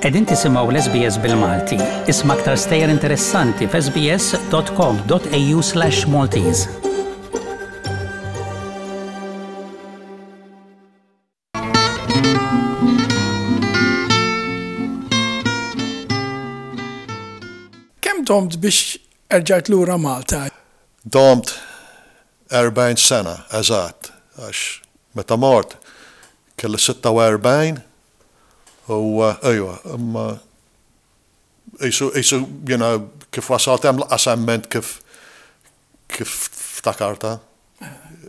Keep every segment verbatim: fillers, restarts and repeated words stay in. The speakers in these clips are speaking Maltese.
Qegħdin tisimgħu l-S B S bil-Malti. Isma' aktar stejjer interessanti f'S B S dot com dot A U slash Maltese. Kemm domt biex erġajt lura Malta? Domt erbgħin sena, eżatt, għax meta mort kelli sitta u erbgħin u ejwa, imma qisu, qisu, you know, kif wasalt hemm lanqas emmint kif kif ftakartha.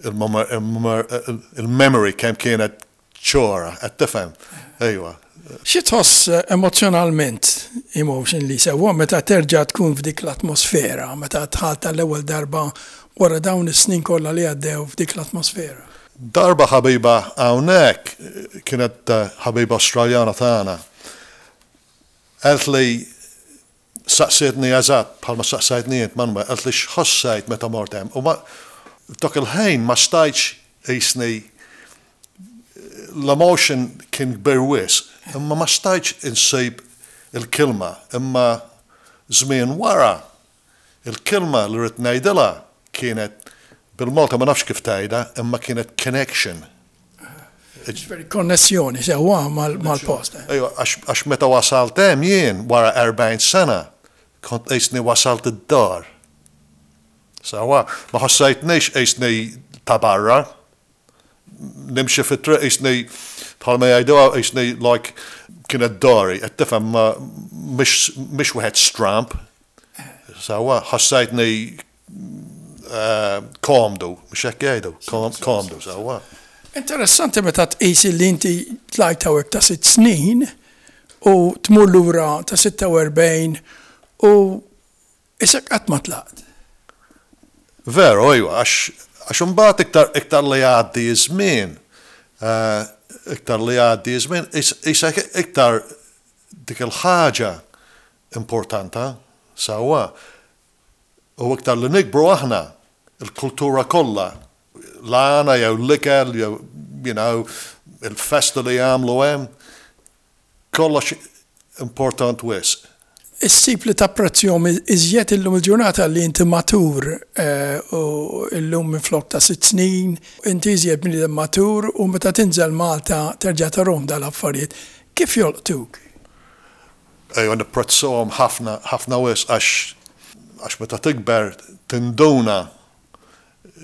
Il-memory kemm kienet ċora, qed tifhem. Ejwa. Xi tħoss emozjonalment, emotionally, sewwa meta terġa' tkun f'dik l-atmosfera, meta dħalt tal-ewwel darba wara dawn is-snin kollha li għaddew f'dik l-atmosfera? Darba ħabiba hawnhekk kienet eh, ħabiba Australjana tagħna. Qaltli, saqsietni eżatt bħalma saqsajtni int, Manuel, qaltli x'ħossajt meta mort hemm. U ma dak il-ħin ma stajtx, qisni l-emotion kien kbir wisq, imma ma stajtx insib il-kilma, imma żmien wara il-kilma li rrid ngħidilha kienet bil-Malta, ma nafx kif tgħidha, imma kienet connection. Ġifieri konnessjoni sewwa mal-post. Ejwa, għax meta wasalt hemm jien wara erbgħin sena, kont qisni wasalt id-dar. Sewwa, ma ħossajtnix qisni ta' barra. Nimxi fit-triq qisni, bħalma jgħidu, qisni like kienet dari, qed tifhem, ma mhix wieħed stramp. Sewwa, ħossajtni eh, komdu, mhux hekk jgħidu, komdu, sewwa. Interessanti meta tqis li inti tlajt hawnhekk ta' sitt snin u tmur lura ta' sitta u erbgħin u isek qatt ma tlaqt. Veru, ejwa, għax għax imbagħad iktar iktar li jgħaddi żmien, eh, iktar li jgħaddi żmien, isek iktar dik il-ħaġa importanta, sewwa. U iktar li nikbru aħna, il-kultura kollha, l-għana jew l-ikel, jew, you know, il-festa li jagħmlu hemm, kollox important wisq. Issib li tapprezzjahom iżjed illum il-ġurnata li inti matur eh, u illum minn flok ta' sitt snin, inti iżjed bniedem matur u meta tinżel Malta terġa' tarahom dal-affarijiet. Kif jolqtuk? Ejwa, nipprezzahom ħafna, ħafna wisq, għax għax meta tikber tinduna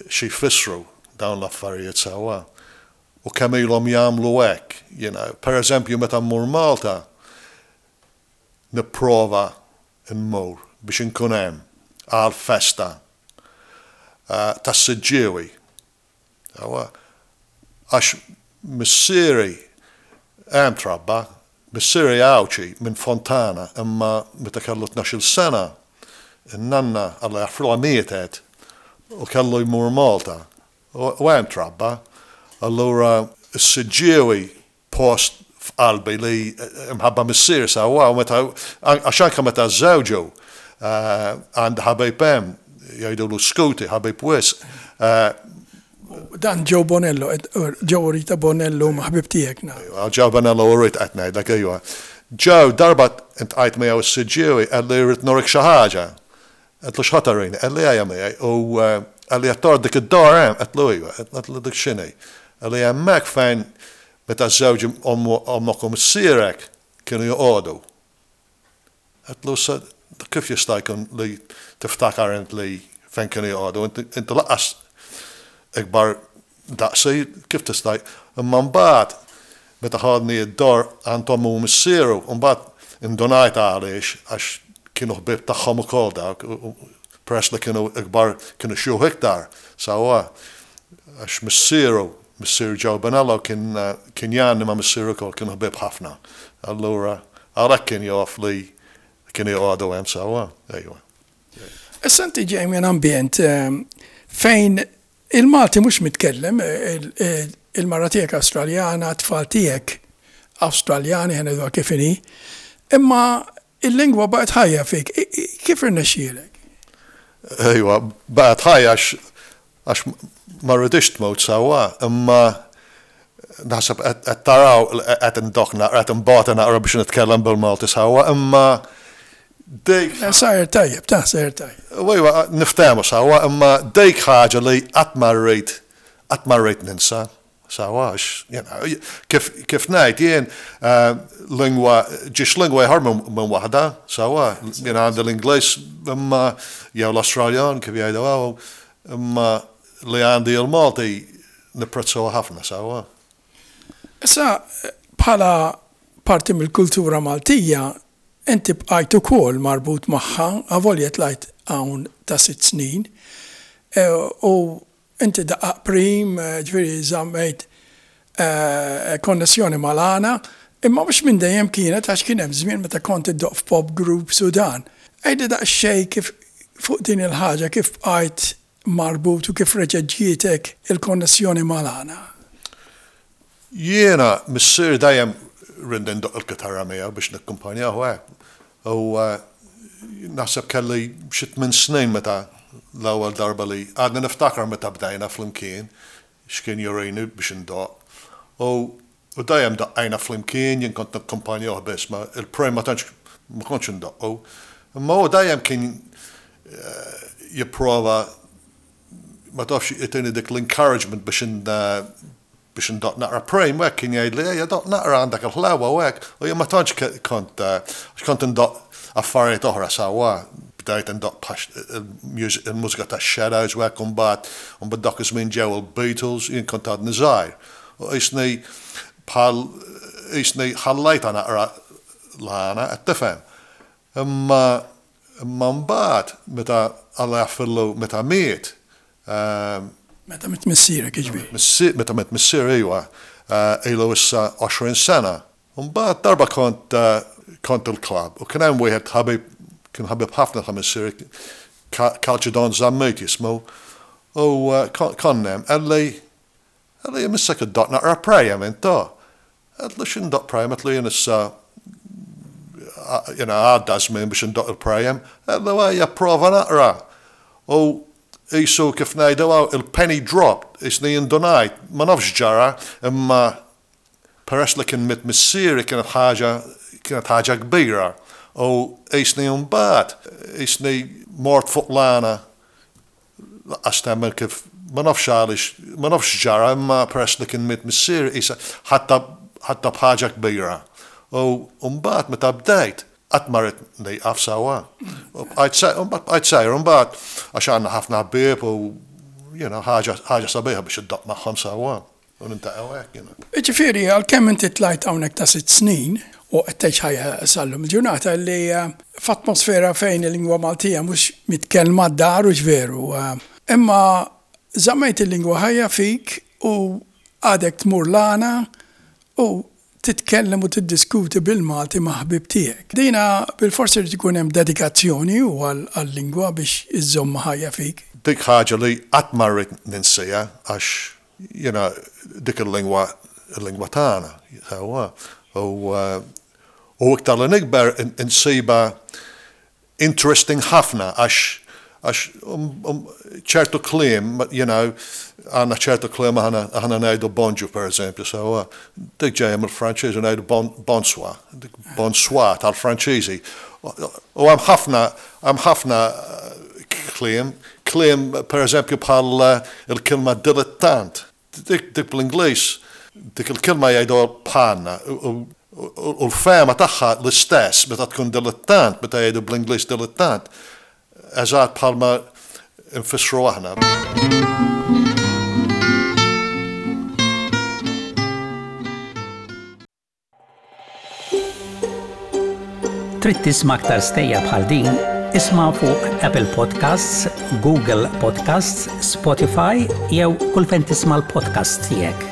xi jfissru dawn l-affarijiet, sewwa. U kemm ilhom jagħmlu hekk, you know. Per eżempju, meta mmur Malta, nipprova nmur biex inkun hemm għal festa uh, tas-Siġġiewi. Sewwa. Għax missieri hemm trabba, missieri Għawdxi minn Fontana, imma meta kellu tnax-il sena, in-nanna, Alla jaħfrilha, mietet u kellu jmur Malta. U u hemm trabba. Allura s-Siġġiewi post f'qalbi li imħabba missier, sewwa, u meta għax anke meta żewġu għand ħabib hemm jgħidulu Skuti, ħabib wisq. Dan Joe Bonello, Joe Rita Bonello ma ħbib tiegħek na. Joe Bonello u Rita qed ngħidlek, ejwa. Joe darba iltqajt miegħu s-Siġġiewi, qalli, "Rrid nurik xi ħaġa." Għedtlu, "X'ħa turini?" Qalli, "Ejja miegħi." U qalli, "Qed tara dik id-dar hemm?" Għedtlu, "Ejwa." Għedtlu, "Dik x'inhi?" Qalli, "Hemmhekk fejn meta żewġ ommok u missierek kienu joqogħdu." Għedtlu, "Sa kif jista' jkun li tiftakar int li fejn kienu joqogħdu? Inti lanqas ikbar daqsi, kif tista'?" Imma mbagħad meta ħadni id-dar għand ommu u missieru, mbagħad indunajt għaliex, għax kienu ħbieb tagħhom ukoll dawk, peress li kienu ikbar, kienu xjuħ iktar, sewwa, għax missieru, missier Joe Bonello kien kien jgħanni ma' missieru ukoll, kienu ħbieb ħafna. Allura għalhekk kien jaf li kienu joqogħdu hemm, sewwa, ejwa. Issa inti ġej minn ambjent fejn il-Malti mhux mitkellem, il-mara tiegħek Awstraljana, tfal tiegħek Awstraljani, ħa ngħidu kif inhi, imma il-lingwa baqgħet ħajja fik. Kif irnexxielek? Ejwa, baqgħet ħajja għax ma rridix tmut, sewwa, imma Naħseb qed taraw qed indoħħ naqra, qed imbagħad naqra biex nitkellem bil-Malti sewwa, imma dik. Sajr tajjeb, ta' sajr tajjeb. Ejwa, niftehmu sewwa, imma dik ħaġa li qatt ma rrid qatt ma rrid ninsa. Sewwa, għax, you know, kif, kif ngħid jien uh, lingwa, ġiex lingwa jħor minn waħda, sewwa, jien għandi l-Ingliż imma jew l-Australjan kif jgħidu hawn, imma li għandi il-Malti nipprezzaw ħafna sewwa. Issa, bħala parti mill-kultura Maltija, inti bqajt ukoll marbut magħha, avolja tlajt hawn ta' sitt snin, e, u inti daqqaq prim, ġifieri żammejt eh, konnessjoni mal-għana, imma mhux minn dejjem kienet, għax kien hemm żmien meta kont iddoqq f'pop groups u dan. Għidli daqsxejn kif fuq din il-ħaġa, kif bqajt marbut u kif reġgħet ġietek il-konnessjoni mal-għana. Jiena missieri dejjem riedni ndoqq il-kitarra miegħu biex nikkumpanjaw hekk. U eh, naħseb kelli xi tmien snin meta l-ewwel darba li għadna niftakar meta bdejna flimkien x'kien jurini biex indoqq. U u dejjem daqqajna flimkien, jien kont nakkumpanjaw biss, ma il-prim ma tantx ma kontx indoqqu. Imma hu dejjem kien eh, jipprova, ma tafx, jtini dik l-encouragement biex in biex ndoqq naqra prim, u hekk kien jgħid li ejja doqq naqra, għandek il-ħlewa u hekk, u jien ma tantx ke- kont eh, għax kont indoqq affarijiet oħra sewwa, bdejt indoqq il-mużika ta' Shadows u hekk, u mbagħad u mbagħad dak iż-żmien ġew il-Beatles, jien kont għadni żgħir. U qisni bħal qisni ħallejta naqra l-għana, qed tifhem. Imma imma mbagħad meta, Alla jaħfirlu, meta miet, ehm, Meta miet missierek, jiġifieri. Missi- meta miet missier, ejwa, eh, ilu issa għoxrin sena. Mbagħad darba kont eh, kont il-club u kien hemm wieħed ħabib, kien ħabib ħafna ta' missier, Kalċidon Zammit jismu, u eh, kon- konna hemm, qalli qalli "Missek iddoqq naqra prejjem inta." Għedtlu, "X'indoqq prejjem?" Għedtlu, "Jien issa jena għadda żmien biex indoqq il-prejjem." Għedtlu, "Ejja prova naqra." U qisu kif ngħidu hawn, il-penny dropped, qisni indunajt, ma nafx ġara, imma peress li kien miet missieri kienet ħaġa kienet ħaġa kbira. U qisni mbagħad, qisni mort fuq l-għana, lanqas temmen kif, ma nafx għaliex, ma nafx ġara, imma peress li kien miet missieri, qisha ħadtha ħadtha bħaġa kbira. U mbagħad meta bdejt, qatt ma ridt nieqaf sewwa. U bqajt se- u mbagħad bqajt sejr, u mbagħad għax għandna ħafna ħbieb u you know, ħaġa ħaġa sabiħa biex iddoqq magħhom sewwa. U niltaqgħu hekk, you know. Ġifieri, għalkemm inti tlajt hawnhekk ta' sitt snin u qed tgħix ħajja sal-lum il-ġurnata li eh, f'atmosfera fejn il-lingwa Maltija mhux mitkellma d-dar u veru. eh, Imma żammejt il-lingwa ħajja fik u għadek tmur l-għana u titkellem u tiddiskuti bil-Malti ma' ħbib tiegħek. Dina bil-forsi li tkun hemm dedikazzjoni u għal-lingwa biex iżżomm ħajja fik. Dik ħaġa li qatt ma rrid ninsija għax you know, dik il-lingwa il-lingwa tagħna. Sewwa. U uh, u iktar li nikber in- insibha interesting ħafna għax għax um, um, ċertu kliem, you know, għandna ċertu kliem, aħna aħna ngħidu bonġu, per eżempju, so dik ġejja mill-Franċiż u ngħidu bon, bonsoir, dik bonsoir tal-Franċiżi. U hemm ħafna hemm ħafna eh, kliem, kliem per eżempju bħal eh, il-kelma dilettant. Dik, dik bl-Ingliż, dik il-kelma jgħidu bħalna u- u u l-fehma tagħha l-istess meta tkun dilettant, meta jgħidu bl-Ingliż dilettant, eżatt bħalma nfissru aħna. Trid tisma' aktar stejjer bħal din? Isma' fuq Apple Podcasts, Google Podcasts, Spotify jew kull fejn tisma' l-podcast tiegħek.